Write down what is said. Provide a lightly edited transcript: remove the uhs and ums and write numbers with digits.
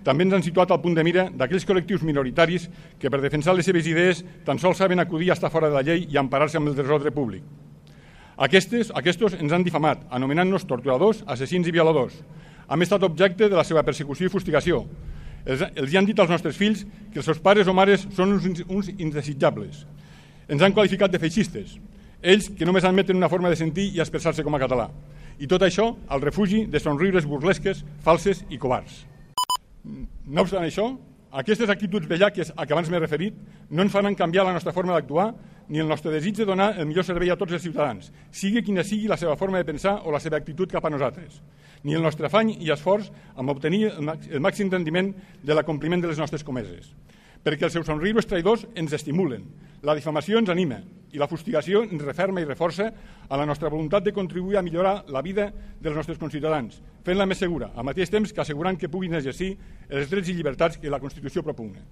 també ens han situat al punt de mira d'aquells col·lectius minoritaris que per defensar les seves idees tan sols saben acudir a estar fora de la llei i emparar-se amb el desordre públic. Aquests ens han difamat, anomenant-nos torturadors, assassins i violadors. Hem estat objecte de la seva persecució i fustigació. Els han dit als nostres fills que els seus pares o mares són uns indesitjables. Ens han qualificat de feixistes, ells que només admeten una forma de sentir i expressar-se com a català. I tot això al refugi de somriures burlesques, falses i covards. No obstant això, aquestes actituds bellaques a què abans m'he referit no ens faran canviar la nostra forma d'actuar ni el nostre desig de donar el millor servei a tots els ciutadans, sigui quina sigui la seva forma de pensar o la seva actitud cap a nosaltres, ni el nostre afany i esforç en obtenir el màxim rendiment de l'acompliment de les nostres comeses. Perquè els seus somriures traïdors ens estimulen, la difamació ens anima i la fustigació ens referma i reforça a la nostra voluntat de contribuir a millorar la vida dels nostres conciutadans, fent-la més segura, al mateix temps que assegurant que puguin exercir els drets i llibertats que la Constitució propugna.